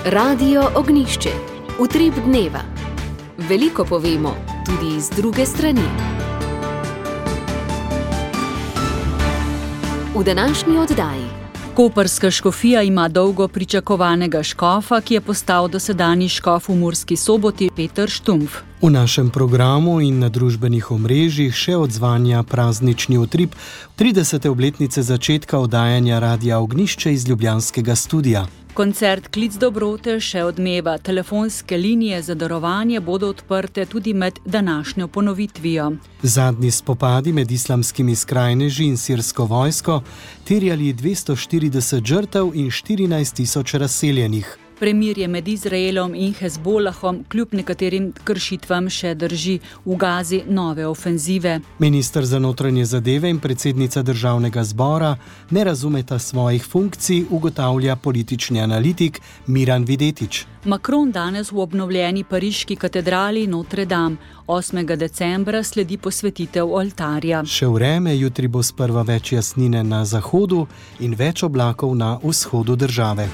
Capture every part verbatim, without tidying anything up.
Radio Ognjišče. Utrip dneva. Veliko povemo, tudi iz druge strani. V današnji oddaji. Koprska škofija ima dolgo pričakovanega škofa, ki je postal dosedanji škof v Murski Soboti, Peter Štumpf. V našem programu in na družbenih omrežjih še odzvanja praznični utrip tridesete obletnice začetka oddajanja Radia Ognjišče iz ljubljanskega studia. Koncert Klic dobrote še odmeva. Telefonske linije za darovanje bodo odprte tudi med današnjo ponovitvijo. Zadnji spopadi med islamskimi skrajneži in sirsko vojsko terjali dvesto štirideset žrtev in štirinajst tisoč razseljenih. Premirje med Izraelom in Hezbolahom kljub nekaterim kršitvam še drži, v Gazi nove ofenzive. Minister za notranje zadeve in predsednica državnega zbora ne razumeta svojih funkcij, ugotavlja politični analitik Miran Videtič. Macron danes v obnovljeni pariški katedrali Notre Dame. osmega decembra sledi posvetitev oltarja. Še vreme, jutri bo sprva več jasnine na zahodu in več oblakov na vzhodu države.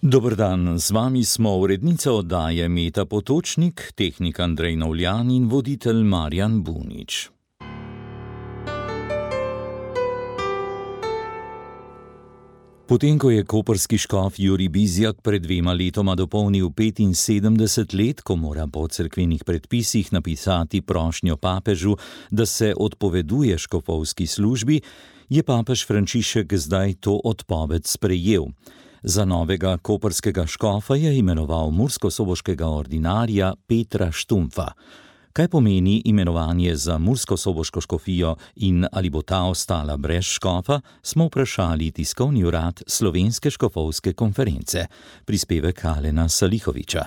Dober dan, z vami smo urednica oddaje Meta Potočnik, tehnik Andrej Novljan in voditelj Marjan Bunič. Potem, ko je koprski škof Jurij Bizjak pred dvema letoma dopolnil petinsedemdeset let, ko mora po cerkvenih predpisih napisati prošnjo papežu, da se odpoveduje škofovski službi, je papež Frančišek zdaj to odpoved sprejel. Za novega koprskega škofa je imenoval murskosoboškega ordinarja Petra Štumpfa. Kaj pomeni imenovanje za murskosoboško škofijo in ali bo ta ostala brez škofa, smo vprašali tiskovni urad Slovenske škofovske konference. Prispevek Alena Salihoviča.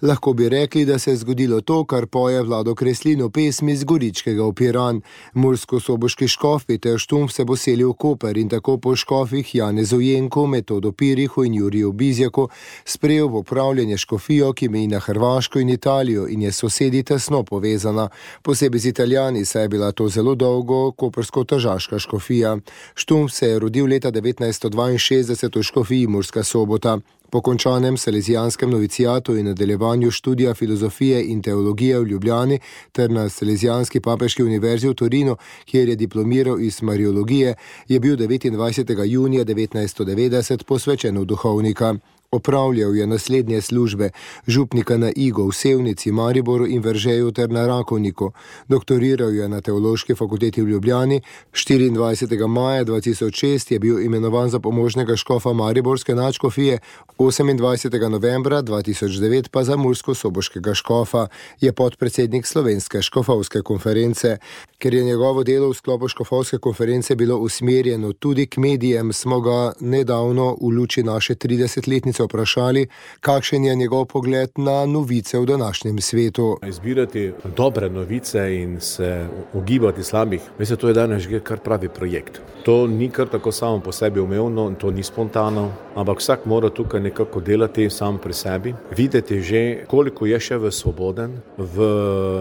Lahko bi rekli, da se je zgodilo to, kar poje Vlado Kreslin v pesmi z Goričkega v Piran. Murskosoboški škof Peter Štumpf se bo selil v Koper in tako po škofih Janezu Jenku, Metodu Pirihu in Juriju Bizjaku sprejel v upravljanje škofijo, ki meji na Hrvaško in Italijo in je s sosedi tesno povezana. Posebej z Italijani, saj je bila to zelo dolgo koprsko-tržaška škofija. Štumpf se je rodil leta devetnajststo dvainšestdeset v škofiji Murska Sobota. Po končanem salezijanskem novicijatu in nadaljevanju študija filozofije in teologije v Ljubljani ter na Salezijanski papeški univerzi v Torinu, kjer je diplomiral iz mariologije, je bil devetindvajsetega junija devetnajststo devetdeset posvečen v duhovnika. Opravljal je naslednje službe: župnika na Igu, v Sevnici, Mariboru in Veržeju ter na Rakovniku. Doktoriral je na Teološki fakulteti v Ljubljani. štiriindvajsetega maja dva tisoč šest je bil imenovan za pomožnega škofa mariborske nadškofije, osemindvajsetega novembra dva tisoč devet pa za murskosoboškega škofa. Je podpredsednik Slovenske škofovske konference. Ker je njegovo delo v sklopu škofovske konference bilo usmerjeno tudi k medijem, smo ga nedavno v luči naše tridesetletnice vprašali, kakšen je njegov pogled na novice v današnjem svetu. Izbirati dobre novice in se ogibati slabih, mislim, to je danes že kar pravi projekt. To ni kar tako samo po sebi umevno, to ni spontano, ampak vsak mora tukaj nekako delati sam pri sebi, videti že, koliko je še v svoboden v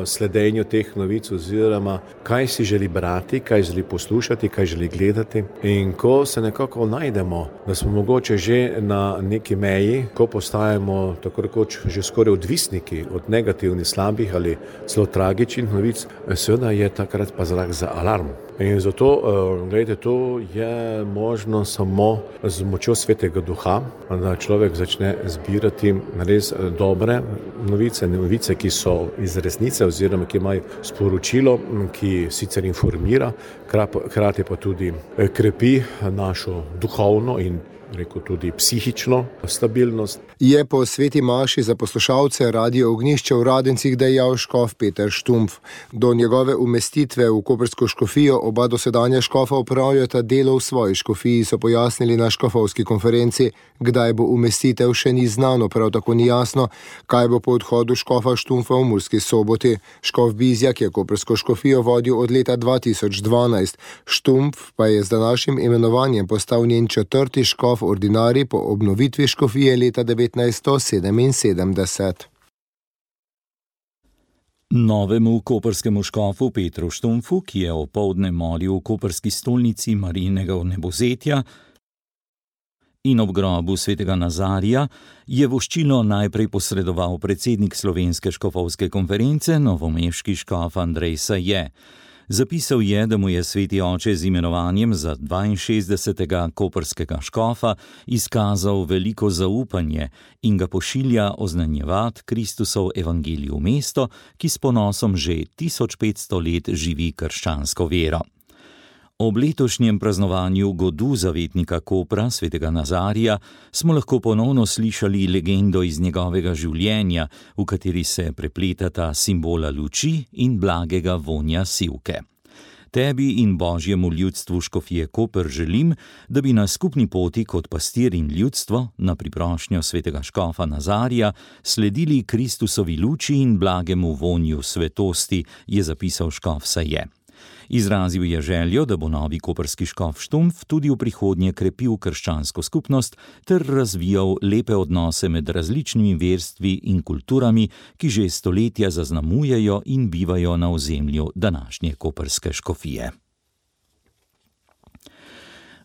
sledenju teh novic oziroma kaj si želi brati, kaj želi poslušati, kaj želi gledati. In ko se nekako najdemo, da smo mogoče že na neki meji, ko postajamo tako rekoč že skoraj odvisniki od negativnih, slabih ali celo tragičnih novic, seveda je takrat pa znak za alarm. In zato, gledajte, to je možno samo z močjo Svetega Duha, da človek začne zbirati res dobre novice, novice, ki so iz resnice oziroma ki imajo sporočilo, ki sicer informira, hkrati pa tudi krepi našo duhovno in rekel tudi psihično stabilnost. Je po sveti maši za poslušalce Radio Ognjišče v Radencih dejal škof Peter Štumpf. Do njegove umestitve v koprsko škofijo oba dosedanja škofa opravljata delo v svoji škofiji, so pojasnili na škofovski konferenci. Kdaj bo umestitev, še ni znano, prav tako ni jasno, kaj bo po odhodu škofa Štumpfa v Murski Soboti. Škof Bizjak je koprsko škofijo vodil od leta dva tisoč dvanajst. Štumpf pa je z današnjim imenovanjem postal njen četrti škof ordinarij po obnovitvi škofije leta devetnajststo sedeminsedemdeset. Novemu koprskemu škofu Petru Štumpfu, ki je opoldne molil v koprski stolnici Marijinega vnebovzetja, In ob grobu svetega Nazarija je voščilo najprej posredoval predsednik Slovenske škofovske konference, novomeški škof Andrej Saje. Zapisal je, da mu je sveti oče z imenovanjem za dvainšestdesetega koprskega škofa izkazal veliko zaupanje in ga pošilja oznanjevati Kristusov evangelij v mesto, ki s ponosom že tisoč petsto let živi krščansko vero. Ob letošnjem praznovanju godu zavetnika Kopra, svetega Nazarija, smo lahko ponovno slišali legendo iz njegovega življenja, v kateri se prepletata simbola luči in blagega vonja sivke. Tebi in božjemu ljudstvu škofije Koper želim, da bi na skupni poti kot pastir in ljudstvo, na priprošnjo svetega škofa Nazarija, sledili Kristusovi luči in blagemu vonju svetosti, je zapisal škof Saje. Izrazil je željo, da bo novi koprski škof Štumpf tudi v prihodnje krepil krščansko skupnost ter razvijal lepe odnose med različnimi verstvi in kulturami, ki že stoletja zaznamujejo in bivajo na ozemlju današnje koprske škofije.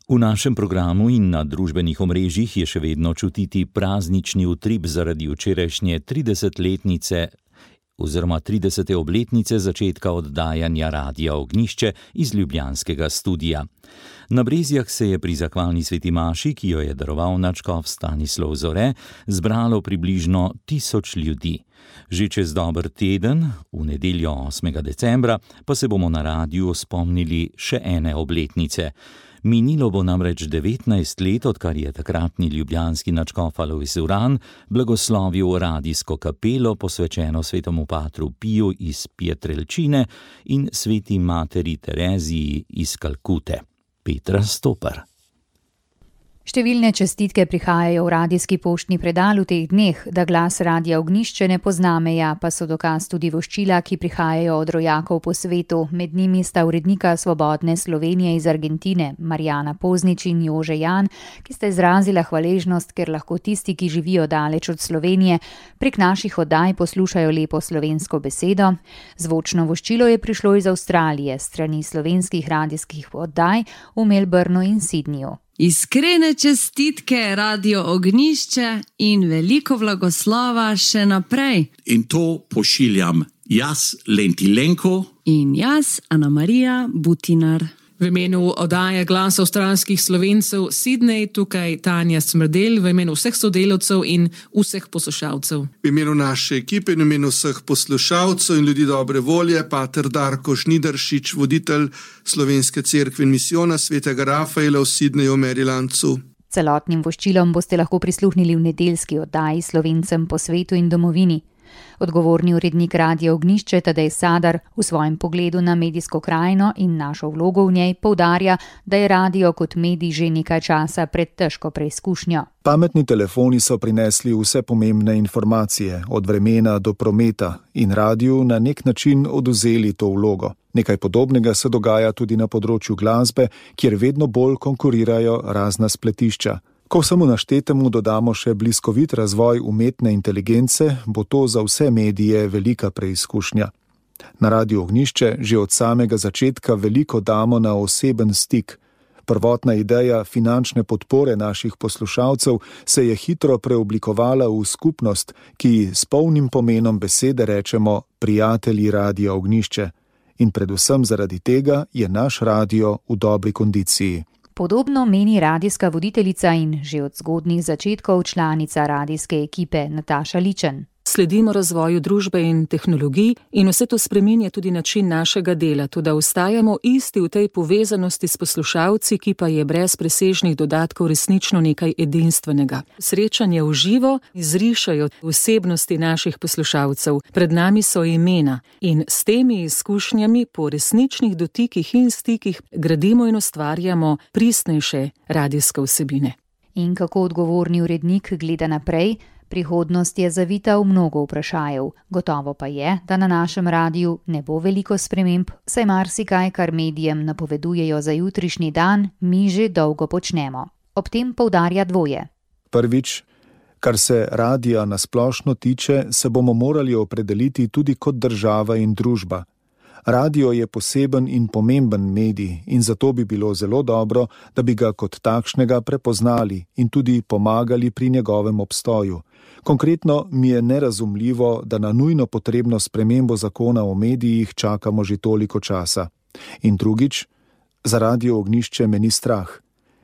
V našem programu in na družbenih omrežjih je še vedno čutiti praznični utrip zaradi včerajšnje tridesetletnice oziroma tridesete obletnice začetka oddajanja Radia Ognjišče iz ljubljanskega studia. Na Brezjah se je pri zahvalni sveti maši, ki jo je daroval nadškof Stanislav Zore, zbralo približno tisoč ljudi. Že čez dober teden, v nedeljo osmega decembra, pa se bomo na radiju spomnili še ene obletnice. Minilo bo namreč devetnajst let, odkar je takratni ljubljanski nadškof Alojz Uran blagoslovil radijsko kapelo, posvečeno svetemu patru Piju iz Pietrelčine in sveti materi Tereziji iz Kalkute. Petra Stopar. Številne čestitke prihajajo v radijski poštni predal v teh dneh, da glas Radia Ognjišče ne pozna meja, pa so dokaz tudi voščila, ki prihajajo od rojakov po svetu. Med njimi sta urednika Svobodne Slovenije iz Argentine, Marjana Poznič in Jože Jan, ki sta izrazila hvaležnost, ker lahko tisti, ki živijo daleč od Slovenije, prek naših oddaj poslušajo lepo slovensko besedo. Zvočno voščilo je prišlo iz Avstralije, strani slovenskih radijskih oddaj v Melbourneu in Sydneyju. Iskrene čestitke Radio Ognjišče in veliko blagoslova še naprej. In to pošiljam jaz, Lenti Lenko. In jaz, Ana Marija Butinar. V imenu oddaje Glas avstralskih Slovencev Sydney, tukaj Tanja Smrdelj, v imenu vseh sodelavcev in vseh poslušalcev. V imenu naše ekipe in v imenu vseh poslušalcev in ljudi dobre volje, pater Darko Žnidaršič, voditelj Slovenske cerkve in misijona svetega Rafaela v Sydneyju, Marylandu. Celotnim voščilom boste lahko prisluhnili v nedeljski oddaji Slovencem po svetu in domovini. Odgovorni urednik Radia Ognjišče Tadej Sadar v svojem pogledu na medijsko krajino in našo vlogo v njej poudarja, da je radio kot medij že nekaj časa pred težko preizkušnjo. Pametni telefoni so prinesli vse pomembne informacije, od vremena do prometa, in radiju na nek način odvzeli to vlogo. Nekaj podobnega se dogaja tudi na področju glasbe, kjer vedno bolj konkurirajo razna spletišča. Ko samo naštetemu dodamo še bliskovit razvoj umetne inteligence, bo to za vse medije velika preizkušnja. Na Radiu Ognjišče že od samega začetka veliko damo na oseben stik. Prvotna ideja finančne podpore naših poslušalcev se je hitro preoblikovala v skupnost, ki s polnim pomenom besede rečemo prijatelji Radia Ognjišče. In predvsem zaradi tega je naš radio v dobri kondiciji. Podobno meni radijska voditeljica in že od zgodnjih začetkov članica radijske ekipe Nataša Ličen. Sledimo razvoju družbe in tehnologij in vse to spreminja tudi način našega dela, toda ostajamo isti v tej povezanosti s poslušalci, ki pa je brez presežnih dodatkov resnično nekaj edinstvenega. Srečanje v živo izrišajo osebnosti naših poslušalcev, pred nami so imena in s temi izkušnjami po resničnih dotikih in stikih gradimo in ustvarjamo pristnejše radijske vsebine. In kako odgovorni urednik gleda naprej? Prihodnost je zavita v mnogo vprašajev. Gotovo pa je, da na našem radiju ne bo veliko sprememb, saj marsikaj, kar medijem napovedujejo za jutrišnji dan, mi že dolgo počnemo. Ob tem poudarja dvoje. Prvič, kar se radija nasplošno tiče, se bomo morali opredeliti tudi kot država in družba. Radio je poseben in pomemben medij in zato bi bilo zelo dobro, da bi ga kot takšnega prepoznali in tudi pomagali pri njegovem obstoju. Konkretno mi je nerazumljivo, da na nujno potrebno spremembo zakona o medijih čakamo že toliko časa. In drugič, za Radio Ognjišče me ni strah,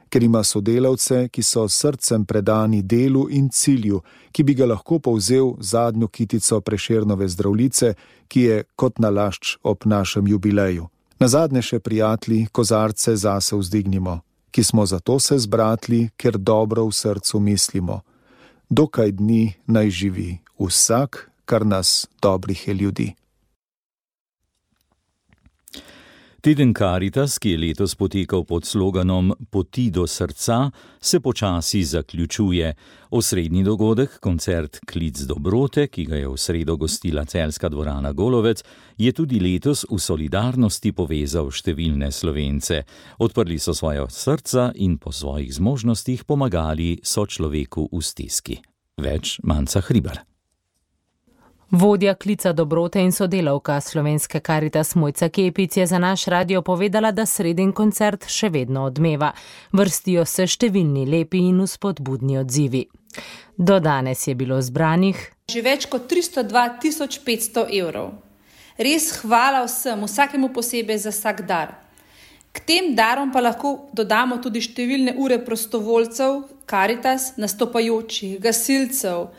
ker ima sodelavce, ki so s srcem predani delu in cilju, ki bi ga lahko povzel zadnjo kitico Prešernove Zdravljice, ki je kot nalašč ob našem jubileju. Nazadnje še prijatelji, kozarce zase vzdignimo, ki smo zato se zbratli, ker dobro v srcu mislimo. Dokaj dni naj živi vsak, kar nas dobrih je ljudi. Teden Karitas, ki je letos potekal pod sloganom Poti do srca, se počasi zaključuje. Osrednji dogodek, koncert Klic dobrote, ki ga je v sredo gostila celjska dvorana Golovec, je tudi letos v solidarnosti povezal številne Slovence. Odprli so svoja srca in po svojih zmožnostih pomagali sočloveku v stiski. Več Manca Hribar. Vodja Klica dobrote in sodelavka slovenske Karitas Mojca Kepic je za naš radio povedala, da sredin koncert še vedno odmeva. Vrstijo se številni lepi in vzpodbudni odzivi. Do danes je bilo zbranih že več kot tristo dva tisoč petsto evrov. Res hvala vsem, vsakemu posebej za vsak dar. K tem darom pa lahko dodamo tudi številne ure prostovoljcev, Karitas, nastopajočih, gasilcev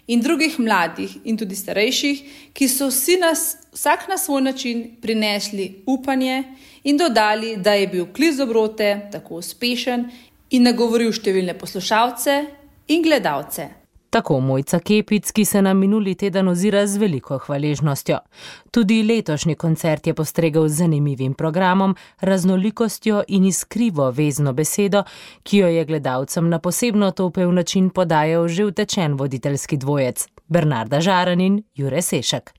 in drugih mladih in tudi starejših, ki so vsi nas, vsak na svoj način prinesli upanje in dodali, da je bil Klic dobrote tako uspešen in nagovoril številne poslušalce in gledalce. Tako Mojca Kepic, ki se na minuli teden ozira z veliko hvaležnostjo. Tudi letošnji koncert je postregel z zanimivim programom, raznolikostjo in iskrivo vezno besedo, ki jo je gledalcem na posebno topel način podajal že utečen voditeljski dvojec, Bernarda Žaran in Jure Sešek.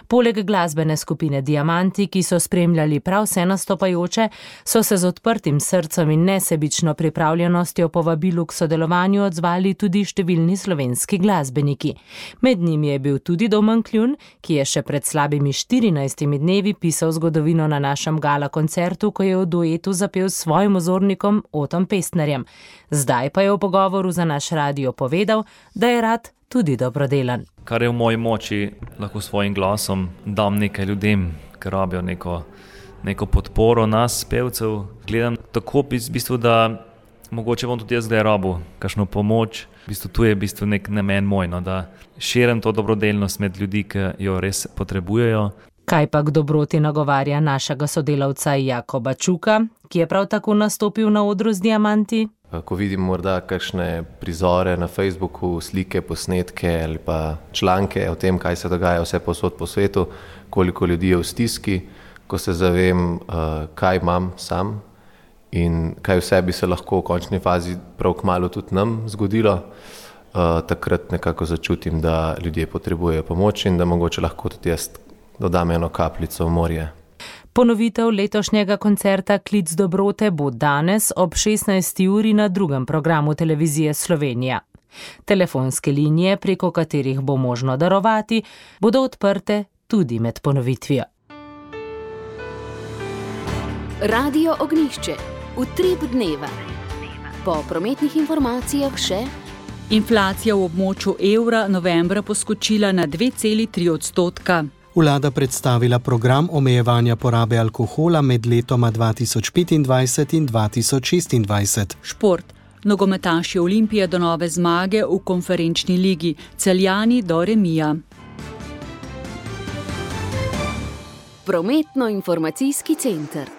Poleg glasbene skupine Diamanti, ki so spremljali prav vse nastopajoče, so se z odprtim srcem in nesebično pripravljenostjo povabilu k sodelovanju odzvali tudi številni slovenski glasbeniki. Med njimi je bil tudi Domen Kljun, ki je še pred slabimi štirinajstimi dnevi pisal zgodovino na našem gala koncertu, ko je v duetu zapel s svojim ozornikom Otom Pestnerjem. Zdaj pa je v pogovoru za naš radio povedal, da je rad tudi dobrodelan. Kar je v moji moči, lahko svojim glasom dam nekaj ljudem, ki rabijo neko, neko podporo nas, pevcev. Gledam tako v bistvu, da mogoče bom tudi jaz zdaj rabil kakšno pomoč. V bistvu tu je v bistvu nek namen moj, no, da širim to dobrodelnost med ljudi, ki jo res potrebujejo. Kaj pa k dobroti nagovarja našega sodelavca Jakoba Čuka, ki je prav tako nastopil na odru z Diamanti? Ko vidim morda kakšne prizore na Facebooku, slike, posnetke ali pa članke o tem, kaj se dogaja vse povsod po svetu, koliko ljudi je v stiski, ko se zavem, kaj imam sam in kaj vse bi se lahko v končni fazi prav kmalu tudi nam zgodilo, takrat nekako začutim, da ljudje potrebujejo pomoč in da mogoče lahko tudi jaz dodam eno kapljico v morje. Ponovitev letošnjega koncerta Klic dobrote bo danes ob šestnajsti uri na drugem programu televizije Slovenija. Telefonske linije, preko katerih bo možno darovati, bodo odprte tudi med ponovitvijo. Radio Ognjišče. Utrip dneva. Po prometnih informacijah še inflacija v območju evra novembra poskočila na dve celi tri odstotka. Vlada predstavila program omejevanja porabe alkohola med letoma dva tisoč petindvajset in dva tisoč šestindvajset. Šport. Nogometaši Olimpije do nove zmage v konferenčni ligi, Celjani do remija. Prometno-informacijski center.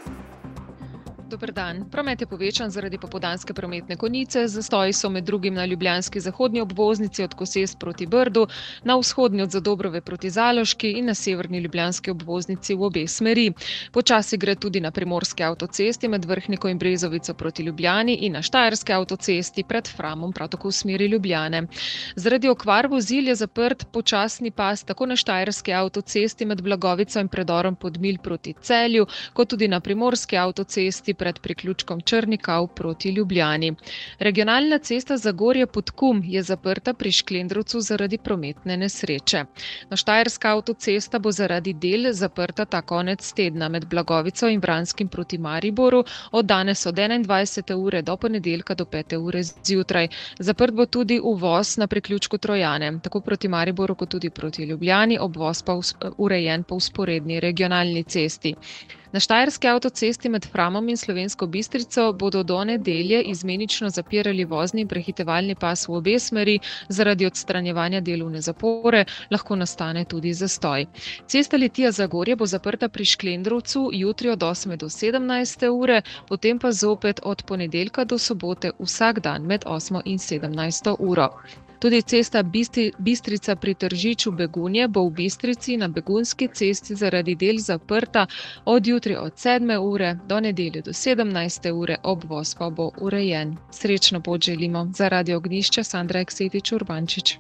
Dober dan. Promet je povečan zaradi popoldanske prometne konice. Zastoji so med drugim na ljubljanski zahodni obvoznici od Koses proti Brdu, na vzhodni od Zadobrove proti Zaloški in na severni ljubljanski obvoznici v obe smeri. Počasi gre tudi na primorski avtocesti med Vrhniko in Brezovico proti Ljubljani in na štajerski avtocesti pred Framom prav tako v smeri Ljubljane. Zaradi okvar vozil je zaprt počasni pas tako na štajerski avtocesti med Blagovico in predorom Podmilj proti Celju, kot tudi na primorski avtocesti pred priključkom Črnikav proti Ljubljani. Regionalna cesta Zagorje-Podkum je zaprta pri Šklendrovcu zaradi prometne nesreče. Na Štajerska avtocesta bo zaradi del zaprta ta konec tedna med Blagovico in Vranskim proti Mariboru od danes od enaindvajsete ure do ponedeljka do pete ure zjutraj. Zaprt bo tudi uvoz na priključku Trojane, tako proti Mariboru kot tudi proti Ljubljani, obvoz pa urejen po vzporedni regionalni cesti. Na Štajerski avtocesti med Framom in Slovensko Bistrico bodo do nedelje izmenično zapirali vozni in prehitevalni pas v obe smeri, zaradi odstranjevanja delovne zapore lahko nastane tudi zastoj. Cesta Litija-Zagorje bo zaprta pri Šklendrovcu jutri od osme do sedemnajste ure, potem pa zopet od ponedeljka do sobote vsak dan med osmo in sedemnajsto uro. Tudi cesta Bistrica pri Tržiču Begunje bo v Bistrici na Begunski cesti zaradi del zaprta od jutri od sedme ure do nedelje do sedemnajste ure, obvoz pa bo urejen. Srečno pot želimo. Za Radio Ognjišče Sandra Eksetič Urbančič.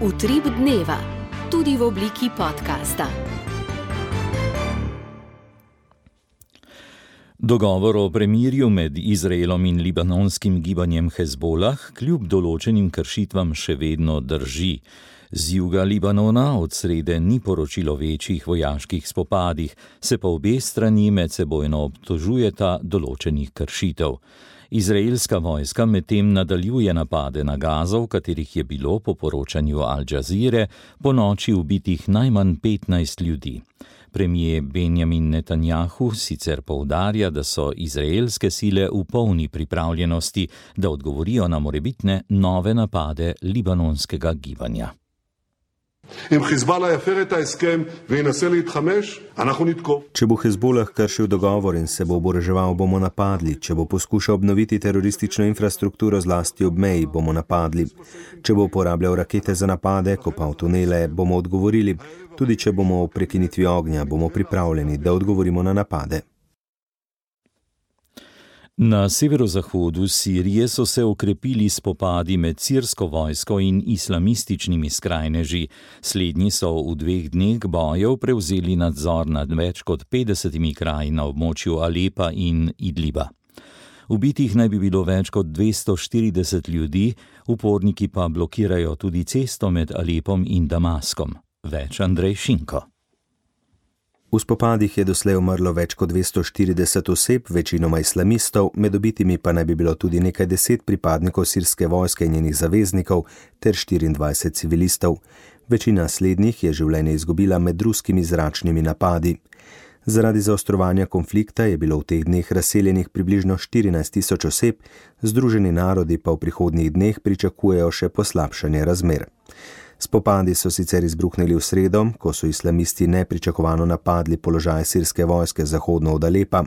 Utrip dneva, tudi v obliki podcasta. Dogovor o premirju med Izraelom in libanonskim gibanjem Hezbolah kljub določenim kršitvam še vedno drži. Z juga Libanona od srede ni poročilo večjih vojaških spopadih, se pa obe strani medsebojno obtožujeta določenih kršitev. Izraelska vojska medtem nadaljuje napade na Gazo, v katerih je bilo po poročanju Al Jazeere po noči ubitih najmanj petnajst ljudi. Premijer Benjamin Netanjahu sicer poudarja, da so izraelske sile v polni pripravljenosti, da odgovorijo na morebitne nove napade libanonskega gibanja. Če bo Hezbolah kršil dogovor in se bo oboroževal, bomo napadli. Če bo poskušal obnoviti teroristično infrastrukturo zlasti ob meji, bomo napadli. Če bo uporabljal rakete za napade, kopal tunele, bomo odgovorili. Tudi če bomo v prekinitvi ognja, bomo pripravljeni, da odgovorimo na napade. Na severozahodu Sirije so se okrepili spopadi med sirsko vojsko in islamističnimi skrajneži. Slednji so v dveh dneh bojev prevzeli nadzor nad več kot petdesetimi kraji na območju Alepa in Idliba. Ubitih naj bi bilo več kot dvesto štirideset ljudi, uporniki pa blokirajo tudi cesto med Alepom in Damaskom. Več Andrej Šinko. V spopadih je doslej umrlo več kot dvesto štirideset oseb, večinoma islamistov, med ubitimi pa naj bi bilo tudi nekaj deset pripadnikov sirske vojske in njenih zaveznikov ter štiriindvajset civilistov. Večina slednjih je življenje izgubila med ruskimi zračnimi napadi. Zaradi zaostrovanja konflikta je bilo v teh dneh razseljenih približno štirinajst tisoč oseb, Združeni narodi pa v prihodnjih dneh pričakujejo še poslabšanje razmer. Spopadi so sicer izbruhnili v sredo, ko so islamisti nepričakovano napadli položaj sirske vojske zahodno od Alepa.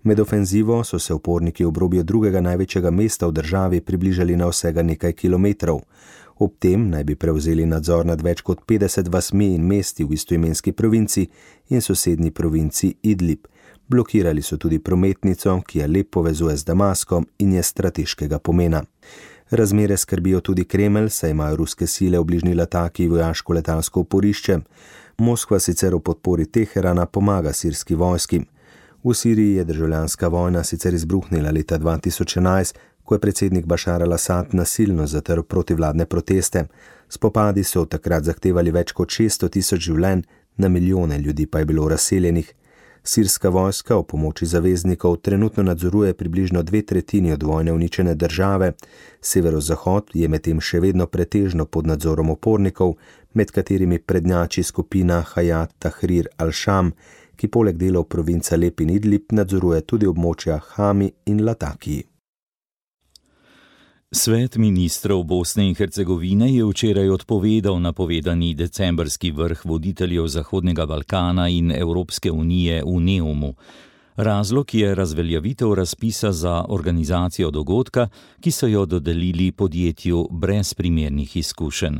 Med ofenzivo so se uporniki v obrobju drugega največjega mesta v državi približali na vsega nekaj kilometrov. Ob tem naj bi prevzeli nadzor nad več kot petdeset vasmi in mesti v istoimenski provinci in sosednji provinci Idlib. Blokirali so tudi prometnico, ki Alep povezuje z Damaskom in je strateškega pomena. Razmere skrbijo tudi Kremelj, saj imajo ruske sile v bližnji Lataki vojaško-letalsko oporišče. Moskva sicer v podpori Teherana pomaga sirski vojski. V Siriji je državljanska vojna sicer izbruhnila leta dva tisoč enajst, ko je predsednik Bašar al-Asad nasilno zatrl protivladne proteste. Spopadi so takrat zahtevali več kot šeststo tisoč življenj, na milijone ljudi pa je bilo razseljenih. Sirska vojska v pomoči zaveznikov trenutno nadzoruje približno dve tretjini od vojne uničene države. Severozahod je medtem še vedno pretežno pod nadzorom upornikov, med katerimi prednjači skupina Hayat Tahrir al-Sham, ki poleg delov provinc Alep in Idlib nadzoruje tudi območja Hami in Latakiji. Svet ministrov Bosne in Hercegovine je včeraj odpovedal napovedani decembrski vrh voditeljev Zahodnega Balkana in Evropske unije v Neumu. Razlog je razveljavitev razpisa za organizacijo dogodka, ki so jo dodelili podjetju brez primernih izkušenj.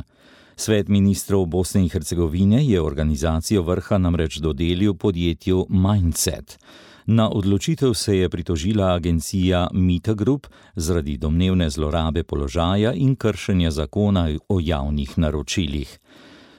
Svet ministrov Bosne in Hercegovine je organizacijo vrha namreč dodelil podjetju Mindset. Na odločitev se je pritožila agencija Mita Group zaradi domnevne zlorabe položaja in kršenja zakona o javnih naročilih.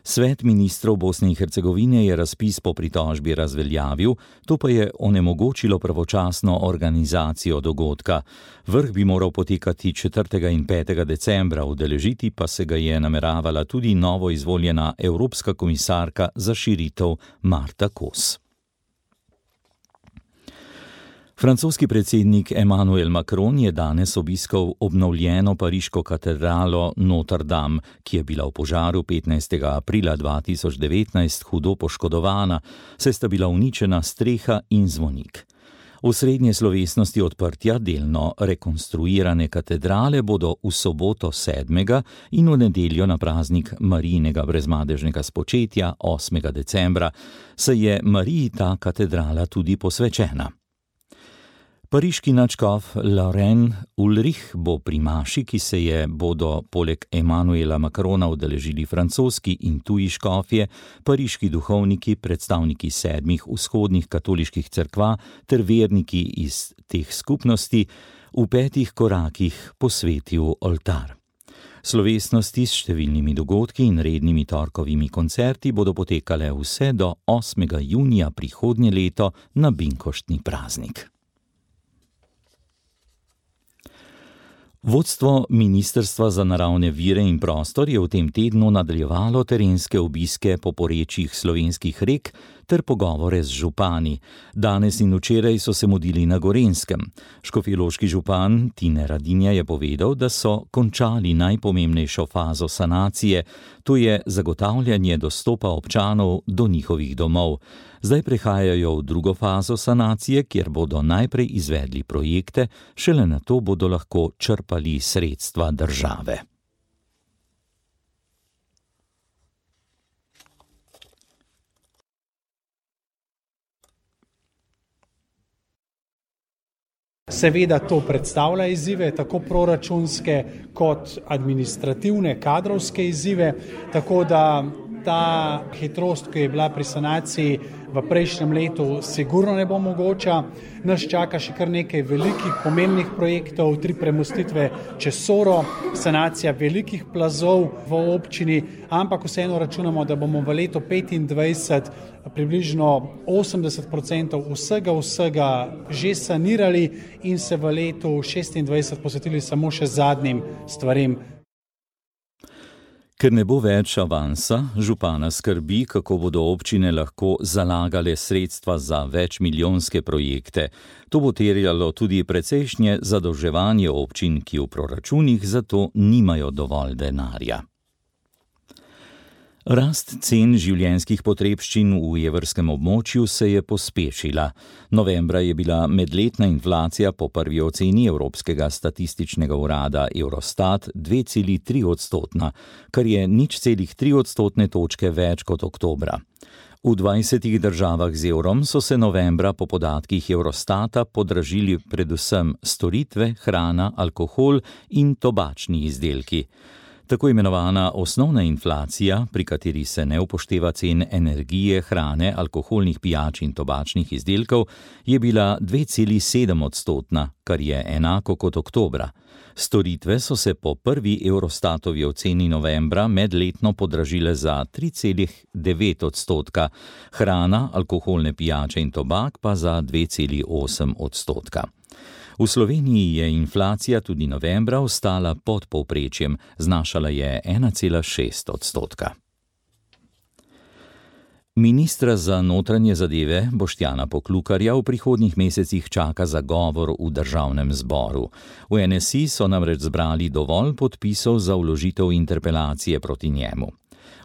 Svet ministrov Bosne in Hercegovine je razpis po pritožbi razveljavil, to pa je onemogočilo pravočasno organizacijo dogodka. Vrh bi moral potekati četrtega in petega decembra, udeležiti pa se ga je nameravala tudi novo izvoljena evropska komisarka za širitev Marta Kos. Francoski predsednik Emmanuel Macron je danes obiskal obnovljeno pariško katedralo Notre Dame, ki je bila v požaru petnajstega aprila dva tisoč devetnajst hudo poškodovana, saj sta bila uničena streha in zvonik. Osrednje slovesnosti odprtja delno rekonstruirane katedrale bodo v soboto sedmega in v nedeljo na praznik Marijinega brezmadežnega spočetja osmega decembra, saj je Mariji ta katedrala tudi posvečena. Pariški nadškof Laurent Ulrich bo pri maši, ki se je bodo poleg Emmanuela Macrona udeležili francoski in tuji škofje, pariški duhovniki, predstavniki sedmih vzhodnih katoliških cerkva ter verniki iz teh skupnosti v petih korakih posvetil oltar. Slovesnosti s številnimi dogodki in rednimi torkovimi koncerti bodo potekale vse do osmega junija prihodnje leto na binkoštni praznik. Vodstvo Ministrstva za naravne vire in prostor je v tem tednu nadaljevalo terenske obiske po porečjih slovenskih rek ter pogovore z župani. Danes in včeraj so se mudili na Gorenjskem. Škofjeloški župan Tine Radinja je povedal, da so končali najpomembnejšo fazo sanacije, to je zagotavljanje dostopa občanov do njihovih domov. Zdaj prehajajo v drugo fazo sanacije, kjer bodo najprej izvedli projekte, šele nato bodo lahko črpali sredstva države. Seveda to predstavlja izzive, tako proračunske kot administrativne, kadrovske izzive, tako da ta hitrost, ki je bila pri sanaciji v prejšnjem letu, sigurno ne bo mogoča. Nas čaka še kar nekaj velikih, pomembnih projektov, tri premostitve čez Soro, sanacija velikih plazov v občini, ampak vseeno računamo, da bomo v letu petindvajset približno osemdeset procentov vsega vsega že sanirali in se v letu šestindvajset posvetili samo še zadnjim stvarem. Ker ne bo več avansa, župana skrbi, kako bodo občine lahko zalagale sredstva za večmilijonske projekte. To bo terjalo tudi precejšnje zadolževanje občin, ki v proračunih zato nimajo dovolj denarja. Rast cen življenjskih potrebščin v evrskem območju se je pospešila. Novembra je bila medletna inflacija po prvi oceni Evropskega statističnega urada Eurostat dve celi tri odstotna, kar je nič celih tri odstotne točke več kot oktobra. V dvajsetih državah z evrom so se novembra po podatkih Eurostata podražili predvsem storitve, hrana, alkohol in tobačni izdelki. Tako imenovana osnovna inflacija, pri kateri se ne upošteva cen energije, hrane, alkoholnih pijač in tobačnih izdelkov, je bila dve celi sedem odstotna, kar je enako kot oktobra. Storitve so se po prvi Eurostatovi oceni novembra medletno podražile za tri celi devet odstotka, hrana, alkoholne pijače in tobak pa za dve celi osem odstotka. V Sloveniji je inflacija tudi novembra ostala pod povprečjem, znašala je ena cela šest odstotka. Ministra za notranje zadeve Boštjana Poklukarja v prihodnjih mesecih čaka zagovor v državnem zboru. V N S I so namreč zbrali dovolj podpisov za vložitev interpelacije proti njemu.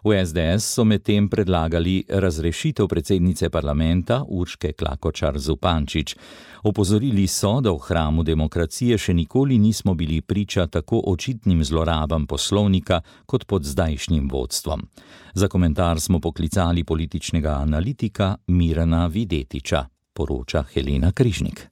V S D S so medtem predlagali razrešitev predsednice parlamenta Urške Klakočar Zupančič. Opozorili so, da v hramu demokracije še nikoli nismo bili priča tako očitnim zlorabam poslovnika kot pod zdajšnjim vodstvom. Za komentar smo poklicali političnega analitika Mirana Videtiča, poroča Helena Križnik.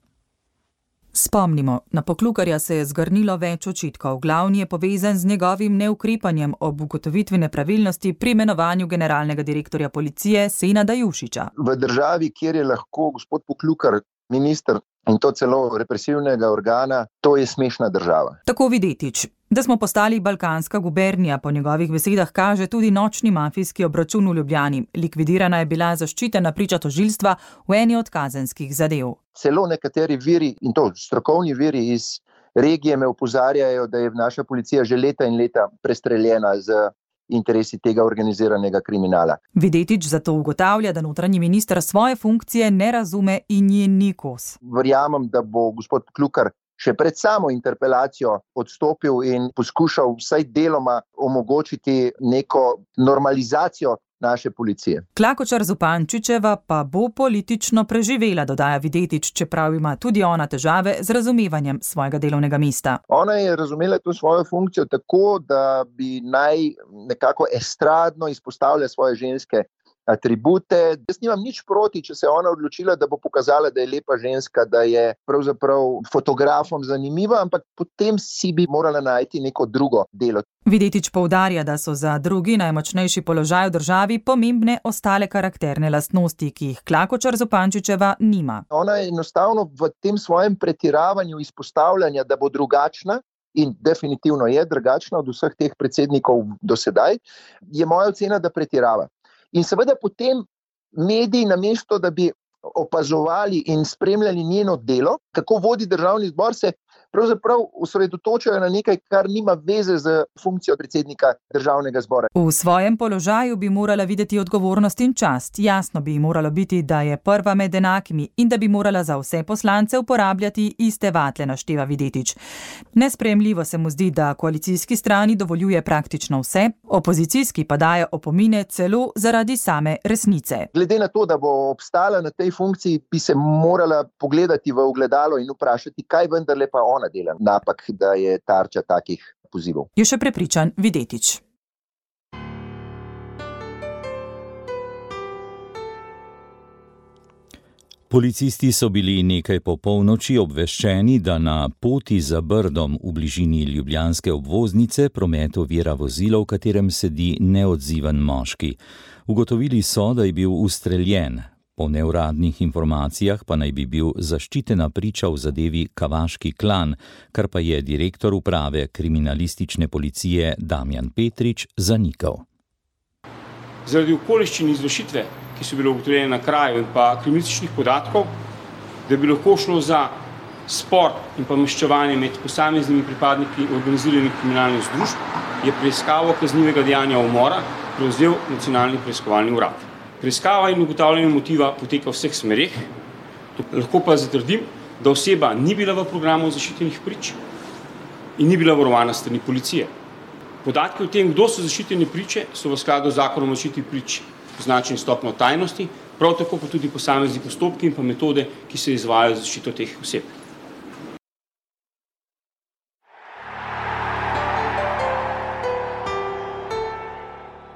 Spomnimo, na Poklukarja se je zgrnilo več očitkov. Glavni je povezan z njegovim neukrepanjem ob ugotovitvi nepravilnosti pri imenovanju generalnega direktorja policije Senada Jušića. V državi, kjer je lahko gospod Poklukar minister in to celo represivnega organa, to je smešna država. Tako Videtič. Da smo postali balkanska gubernija, po njegovih besedah kaže tudi nočni mafijski obračun v Ljubljani. Likvidirana je bila zaščitena priča tožilstva v eni od kazenskih zadev. Celo nekateri viri, in to strokovni viri iz regije, me opozarjajo, da je naša policija že leta in leta prestreljena z interesi tega organiziranega kriminala. Videtič zato ugotavlja, da notranji minister svoje funkcije ne razume in je ni kos. Verjamem, da bo gospod Poklukar še pred samo interpelacijo odstopil in poskušal vsaj deloma omogočiti neko normalizacijo naše policije. Klakočar Zupančičeva pa bo politično preživela, dodaja Videtič, čeprav ima tudi ona težave z razumevanjem svojega delovnega mesta. Ona je razumela to svojo funkcijo tako, da bi naj nekako estradno izpostavlja svoje ženske atribute. Jaz nimam nič proti, če se je ona odločila, da bo pokazala, da je lepa ženska, da je pravzaprav fotografom zanimiva, ampak potem si bi morala najti neko drugo delo. Videtič poudarja, da so za drugi najmočnejši položaj v državi pomembne ostale karakterne lastnosti, ki jih Klakočar Zupančičeva nima. Ona je enostavno v tem svojem pretiravanju izpostavljanja, da bo drugačna, in definitivno je drugačna od vseh teh predsednikov do sedaj, je moja ocena, da pretirava. In seveda potem mediji, namesto da bi opazovali in spremljali njeno delo, kako vodi državni zbor, se pravzaprav osredotočajo na nekaj, kar nima veze z funkcijo predsednika državnega zbora. V svojem položaju bi morala videti odgovornost in čast. Jasno bi moralo biti, da je prva med enakimi in da bi morala za vse poslance uporabljati iste vatle, našteva Videtič. Nesprejemljivo se mu zdi, da koalicijski strani dovoljuje praktično vse, opozicijski pa daje opomine celo zaradi same resnice. Glede na to, da bo obstala na tej funkciji, bi se morala pogledati v ogledalo in vprašati, kaj vendarle pa ona dela napak, da je tarča takih pozivov. Je še prepričan Videtič. Policisti so bili nekaj po polnoči obveščeni, da na poti za Brdom v bližini ljubljanske obvoznice promet ovira vozilo, v katerem sedi neodziven moški. Ugotovili so, da je bil ustreljen. Po neuradnih informacijah pa naj bi bil zaščitena priča v zadevi Kavaški klan, kar pa je direktor uprave kriminalistične policije Damjan Petrič zanikal. Zaradi okoliščin izvršitve, ki so bile ugotovljene na kraju in pa kriminalističnih podatkov, da bi lahko šlo za spor in pa maščevanje med posameznimi pripadniki organiziranih kriminalnih združb, je preiskavo kaznivega dejanja umora prevzel Nacionalni preiskovalni urad. Preiskava in ugotavljanje motiva poteka v vseh smereh. Lahko pa zatrdim, da oseba ni bila v programu zaščitenih prič in ni bila varovana s strani policije. Podatki o tem, kdo so zaščitene priče, so v skladu z zakonom o zaščiti prič označeni stopnjo tajnosti, prav tako pa tudi posamezni postopki in pa metode, ki se izvajajo za zaščito teh oseb.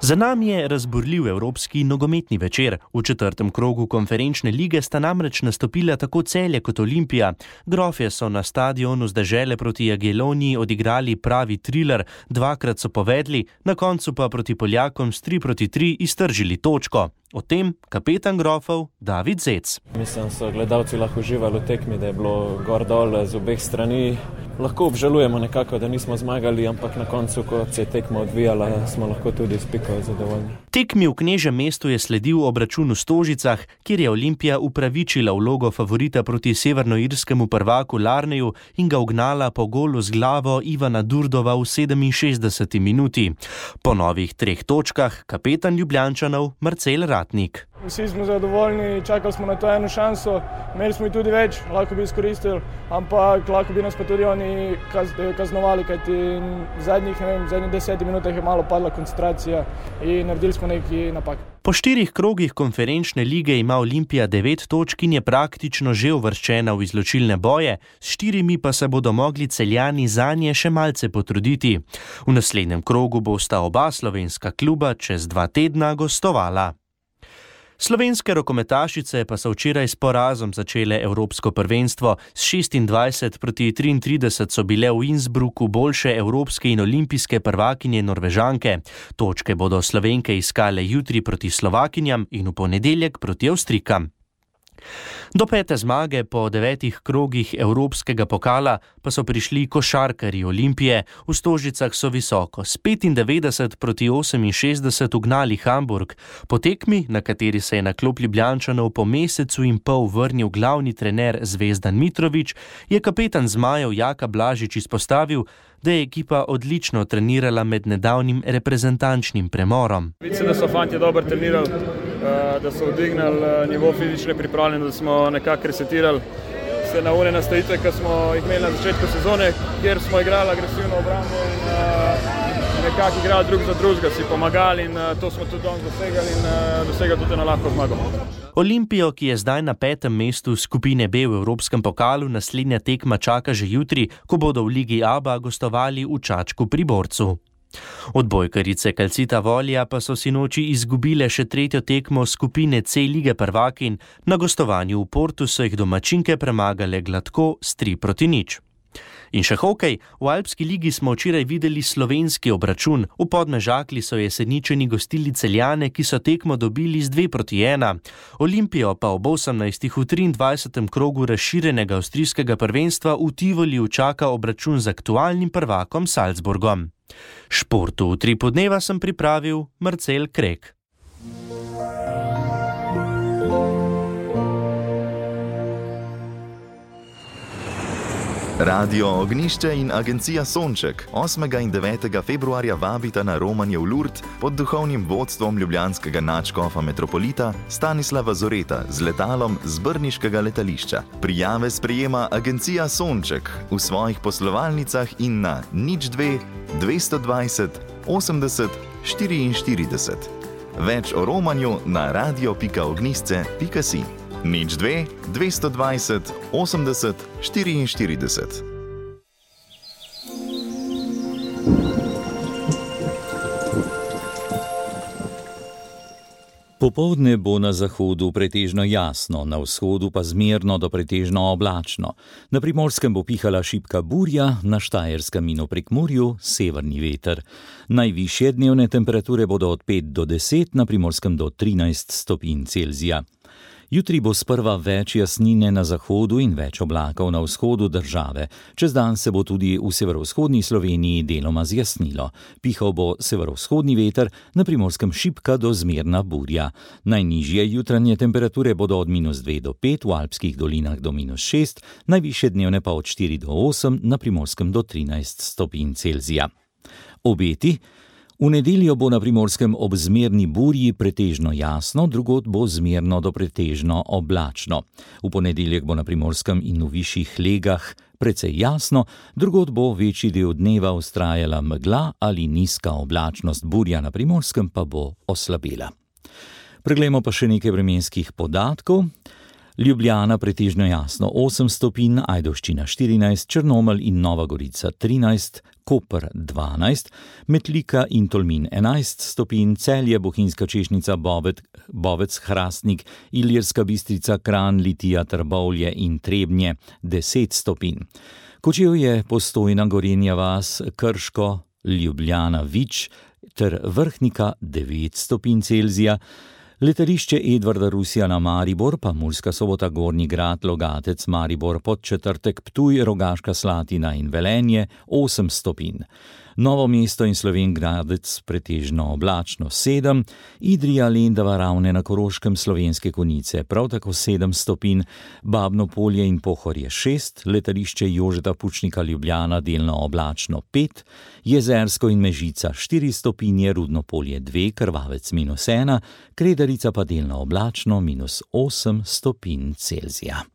Za nami je razburljiv evropski nogometni večer. V četrtem krogu konferenčne lige sta namreč nastopila tako Celje kot Olimpija. Grofje so na stadionu z Dežele proti Jageloniji odigrali pravi triler, dvakrat so povedli, na koncu pa proti Poljakom s tri proti tri iztržili točko. O tem kapetan Grofov David Zec. Mislim, so gledalci lahko uživali v tekmi, da je bilo gor dol z obeh strani. Lahko obžalujemo nekako, da nismo zmagali, ampak na koncu, ko se je tekma odvijala, smo lahko tudi s piko zadovoljni. Tekmi v Knežjem mestu je sledil obračun v Stožicah, kjer je Olimpija upravičila vlogo favorita proti severnoirskemu prvaku Larneju in ga ugnala po golu z glavo Ivana Durdova v sedeminšestdeseti minuti. Po novih treh točkah kapetan Ljubljančanov Marcel Ratnik. Vsi smo zadovoljni, čakali smo na to eno šanso, imeli smo jih tudi več, lahko bi izkoristili, ampak lahko bi nas pa tudi oni kaz, kaznovali, kajti v zadnjih, ne vem, v zadnjih desetih minutah je malo padla koncentracija in naredili smo neki napak. Po štirih krogih konferenčne lige ima Olimpija devet točk in je praktično že uvrščena v izločilne boje, s štirimi pa se bodo mogli Celjani zanje še malce potruditi. V naslednjem krogu bosta oba slovenska kluba čez dva tedna gostovala. Slovenske rokometašice pa so včeraj s porazom začele evropsko prvenstvo. S šestindvajset proti triintrideset so bile v Innsbrucku boljše evropske in olimpijske prvakinje Norvežanke. Točke bodo Slovenke iskale jutri proti Slovakinjam in v ponedeljek proti Avstrijkam. Do pete zmage po devetih krogih evropskega pokala pa so prišli košarkarji Olimpije. V Stožicah so visoko s petindevetdeset proti oseminšestdeset ugnali Hamburg. Po tekmi, na kateri se je na klop Ljubljančanov po mesecu in pol vrnil glavni trener Zvezdan Mitrović, je kapetan zmajev Jaka Blažič izpostavil, da je ekipa odlično trenirala med nedavnim reprezentančnim premorom. Mislim, da so fantje dobro trenirali, da so odignali nivo fizične pripravljenosti, da smo nekako resetirali se na one nastavitve, ki smo jih imeli na začetku sezone, kjer smo igrali agresivno obrambo in nekako igrali drug za drugega, si pomagali in to smo tudi danes dosegali in dosegali tudi na lahko zmago. Olimpijo, ki je zdaj na petem mestu skupine B v Evropskem pokalu, naslednja tekma čaka že jutri, ko bodo v Ligi Aba gostovali v Čačku pri Borcu. Odbojkarice Calcita Volja pa so sinoči izgubile še tretjo tekmo skupine C Lige prvakinj. Na gostovanju v Portu so jih domačinke premagale gladko s tri proti nič. In še hokej, v Alpski ligi smo včeraj videli slovenski obračun. V Podmežakli so Jeseničani gostili Celjane, ki so tekmo dobili z dve proti ena. Olimpijo pa ob osemnajstih v triindvajsetem krogu razširjenega avstrijskega prvenstva v Tivoliju čaka obračun z aktualnim prvakom Salzburgom. Športu v Utripu dneva sem pripravil Marcel Krek. Radio Ognišče in agencija Sonček osmega in devetega februarja vabita na romanje v Lourdes pod duhovnim vodstvom ljubljanskega nadškofa metropolita Stanislava Zoreta z letalom z brniškega letališča. Prijave sprejema agencija Sonček v svojih poslovalnicah in na nič dve dvesto dvajset osemdeset štiriinštirideset. Več o romanju na radio pika ognjišče pika si. nič dve dvesto dvajset osemdeset štiriinštirideset. Popoldne bo na zahodu pretežno jasno, na vzhodu pa zmerno do pretežno oblačno. Na Primorskem bo pihala šibka burja, na Štajerskem in v Prekmurju severni veter. Najvišje dnevne temperature bodo od pet do deset, na Primorskem do trinajst stopinj Celzija. Jutri bo sprva več jasnine na zahodu in več oblakov na vzhodu države. Čez dan se bo tudi v severovzhodni Sloveniji deloma zjasnilo. Pihal bo severovzhodni veter, na Primorskem šibka do zmerna burja. Najnižje jutranje temperature bodo od minus dve do pet, v alpskih dolinah do minus šest, najvišje dnevne pa od štiri do osem, na Primorskem do trinajst stopinj Celzija. Obeti. V nedeljo bo na Primorskem ob zmerni burji pretežno jasno, drugod bo zmerno do pretežno oblačno. V ponedeljek bo na Primorskem in v višjih legah precej jasno, drugod bo večji del dneva vztrajala megla ali nizka oblačnost, burja na Primorskem pa bo oslabela. Preglejmo pa še nekaj vremenskih podatkov. Ljubljana pretežno jasno osem stopinj, Ajdovščina štirinajst, Črnomelj in Nova Gorica trinajst, Koper dvanajst, Metlika in Tolmin enajst stopinj, Celje, Bohinjska Češnica, Bovec, Bovec, Hrastnik, Ilirska Bistrica, Kranj, Litija, Trbovlje in Trebnje deset stopinj. Kočevje, Postojna, Gorenja vas, Krško, Ljubljana, Vič ter Vrhnika devet stopinj Celzija. Letališče Edvarda Rusjana Maribor, pa Murska Sobota, Gornji Grad, Logatec, Maribor, Podčetrtek, Ptuj, Rogaška Slatina in Velenje osem stopinj. Novo mesto in Slovenj Gradec pretežno oblačno sedem, Idrija, Lendava, Ravne na Koroškem, Slovenske Konjice prav tako sedem stopinj, Babno Polje in Pohorje šest, letališče Jožeta Pučnika Ljubljana delno oblačno pet, Jezersko in Mežica štiri stopinje, Rudno Polje dve, Krvavec minus ena, Kredarica pa delno oblačno minus osem stopinj Celzija.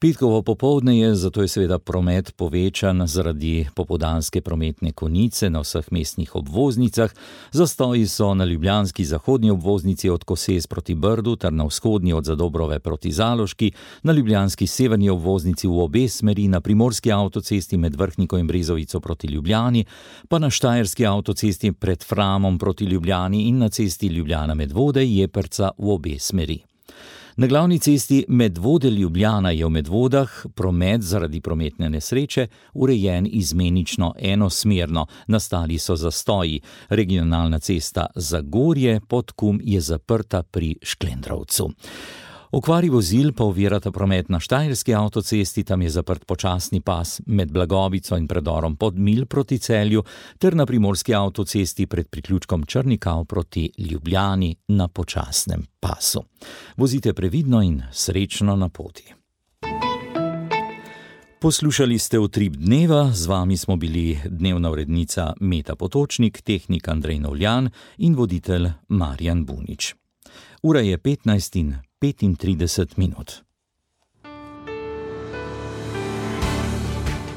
Petkovo popoldne je, zato je seveda promet povečan zaradi popoldanske prometne konice na vseh mestnih obvoznicah. Zastoji so na ljubljanski zahodni obvoznici od Koses proti Brdu ter na vzhodni od Zadobrove proti Zaloški, na ljubljanski severni obvoznici v obe smeri, na primorski avtocesti med Vrhniko in Brezovico proti Ljubljani, pa na štajerski avtocesti pred Framom proti Ljubljani in na cesti Ljubljana Medvode, Jeperca v obe smeri. Na glavni cesti Medvode-Ljubljana je v Medvodah promet zaradi prometne nesreče urejen izmenično enosmerno. Nastali so zastoji. Regionalna cesta Zagorje-Podkum je zaprta pri Šklendrovcu. Okvari vozil pa ovirata promet na štajerski avtocesti, tam je zaprt počasni pas med Blagovico in predorom Podmilj proti Celju, ter na primorski avtocesti pred priključkom Črnikav proti Ljubljani na počasnem pasu. Vozite previdno in srečno na poti. Poslušali ste Utrip dneva, z vami smo bili dnevna urednica Meta Potočnik, tehnik Andrej Novljan in voditelj Marjan Bunič. Ura je petnajst in petintrideset minut.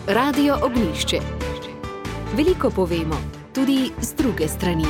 Radio Ognjišče. Veliko povemo, tudi z druge strani.